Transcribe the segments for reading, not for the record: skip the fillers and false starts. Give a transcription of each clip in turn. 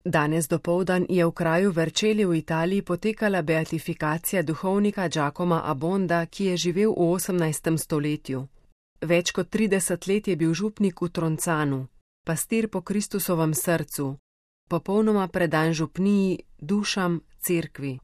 Danes dopoldan je v kraju Vercelli v Italiji potekala beatifikacija duhovnika Giacomo Abbonda, ki je živel v 18. stoletju. Več kot 30 let je bil župnik v Troncanu, pastir po Kristusovem srcu, popolnoma predan župniji, dušam, cerkvi.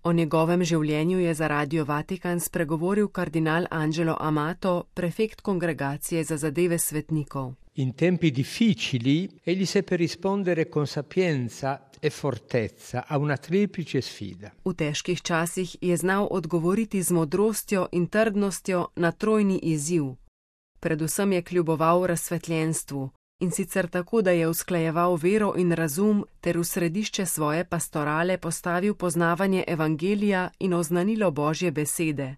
O njegovem življenju je za Radio Vatikan spregovoril kardinal Angelo Amato, prefekt kongregacije za zadeve svetnikov. In tempi difficili egli seppe rispondere con sapienza e fortezza a una triplice sfida. V težkih časih je znal odgovoriti z modrostjo in trdnostjo na trojni izziv. Predvsem je kljuboval razsvetljenstvu, in sicer tako, da je usklajeval vero in razum ter v središče svoje pastorale postavil poznavanje evangelija in oznanilo Božje besede.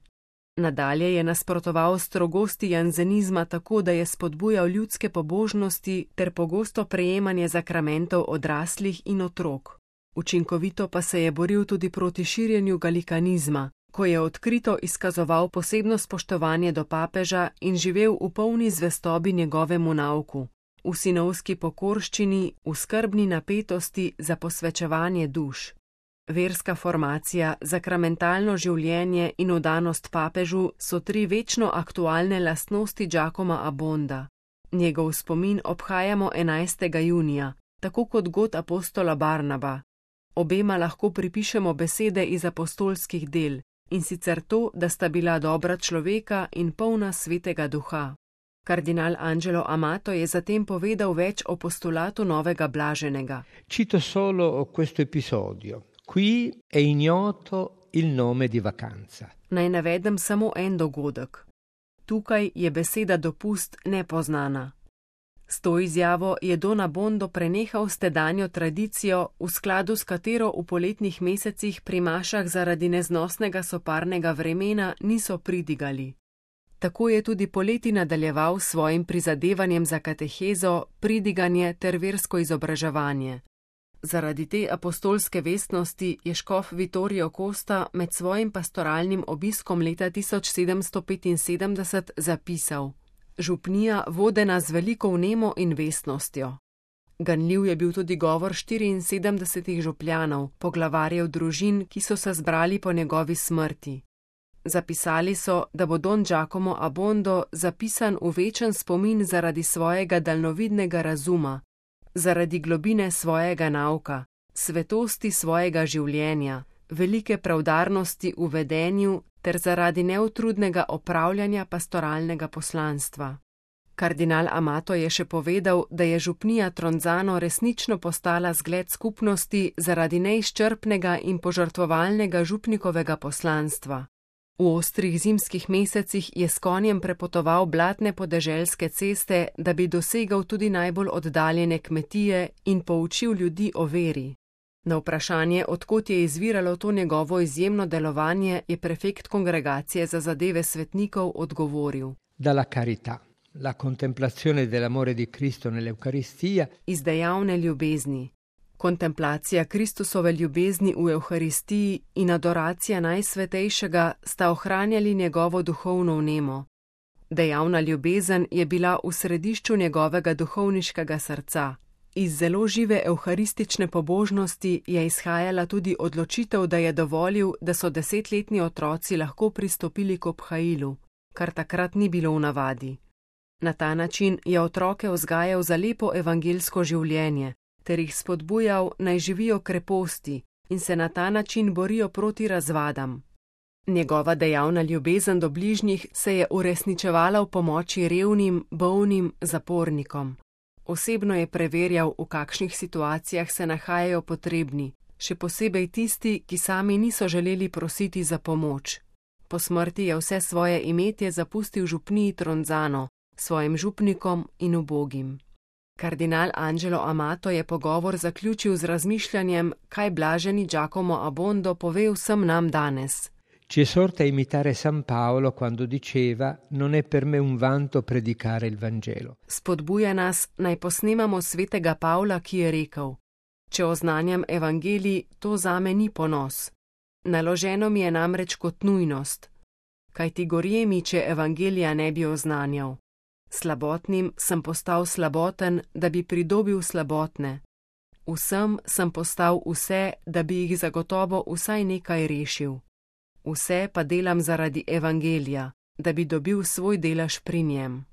Nadalje je nasprotoval strogosti janzenizma tako, da je spodbujal ljudske pobožnosti ter pogosto prejemanje zakramentov odraslih in otrok. Učinkovito pa se je boril tudi proti širjenju galikanizma, ko je odkrito izkazoval posebno spoštovanje do papeža in živel v polni zvestobi njegovemu nauku, v sinovski pokorščini, v skrbni napetosti za posvečevanje duš. Verska formacija, zakramentalno življenje in odanost papežu so tri večno aktualne lastnosti Giacoma Abbonda. Njegov spomin obhajamo 11. junija, tako kot god apostola Barnaba. Obema lahko pripišemo besede iz apostolskih del, in sicer to, da sta bila dobra človeka in polna svetega duha. Kardinal Angelo Amato je zatem povedal več o postulatu novega blaženega. Cito solo questo episodio. Qui è ignoto il nome di vacanza. Naj navedem samo en dogodek. Tukaj je beseda dopust nepoznana. S to izjavo je Don Abbondo prenehal s tedanjo tradicijo, v skladu s katero v poletnih mesecih pri mašah zaradi neznosnega soparnega vremena niso pridigali. Tako je tudi poleti nadaljeval s svojim prizadevanjem za katehezo, pridiganje ter versko izobraževanje. Zaradi te apostolske vestnosti je škof Vittorio Costa med svojim pastoralnim obiskom leta 1775 zapisal: Župnija vodena z veliko vnemo in vestnostjo. Ganljiv je bil tudi govor 74 župljanov, poglavarjev družin, ki so se zbrali po njegovi smrti. Zapisali so, da bo Don Giacomo Abbondo zapisan v večen spomin zaradi svojega daljnovidnega razuma, zaradi globine svojega nauka, svetosti svojega življenja, velike preudarnosti v vedenju ter zaradi neutrudnega opravljanja pastoralnega poslanstva. Kardinal Amato je še povedal, da je župnija Tronzano resnično postala zgled skupnosti zaradi neizčrpnega in požrtvovalnega župnikovega poslanstva. V ostrih zimskih mesecih je s konjem prepotoval blatne podeželske ceste, da bi dosegal tudi najbolj oddaljene kmetije in poučil ljudi o veri. Na vprašanje, odkot je izviralo to njegovo izjemno delovanje, je prefekt kongregacije za zadeve svetnikov odgovoril: Dalla carità, la contemplazione dell'amore di Cristo nell'Eucaristia. Iz dejavne ljubezni. Kontemplacija Kristusove ljubezni v Evharistiji in adoracija Najsvetejšega sta ohranjali njegovo duhovno vnemo. Dejavna ljubezen je bila v središču njegovega duhovniškega srca. Iz zelo žive evharistične pobožnosti je izhajala tudi odločitev, da je dovolil, da so 10-letni otroci lahko pristopili k obhajilu, kar takrat ni bilo v navadi. Na ta način je otroke vzgajal za lepo evangelsko življenje, ter jih spodbujal, naj živijo kreposti in se na ta način borijo proti razvadam. Njegova dejavna ljubezen do bližnjih se je uresničevala v pomoči revnim, bolnim, zapornikom. Osebno je preverjal, v kakšnih situacijah se nahajajo potrebni, še posebej tisti, ki sami niso želeli prositi za pomoč. Po smrti je vse svoje imetje zapustil župniji Tronzano, svojim župnikom in ubogim. Kardinal Angelo Amato je pogovor zaključil z razmišljanjem, kaj blaženi Giacomo Abbondo pove vsem nam danes. Ci esorta a imitare San Paolo quando diceva: non è per me un vanto predicare il Vangelo. Spodbuja nas, naj posnemamo svetega Pavla, ki je rekel: Če oznanjam evangelij, to zame ni ponos. Naloženo mi je namreč kot nujnost. Kajti gorje mi, če evangelija ne bi oznanjal. Slabotnim sem postal slaboten, da bi pridobil slabotne. Vsem sem postal vse, da bi jih zagotovo vsaj nekaj rešil. Vse pa delam zaradi evangelija, da bi dobil svoj delež pri njem.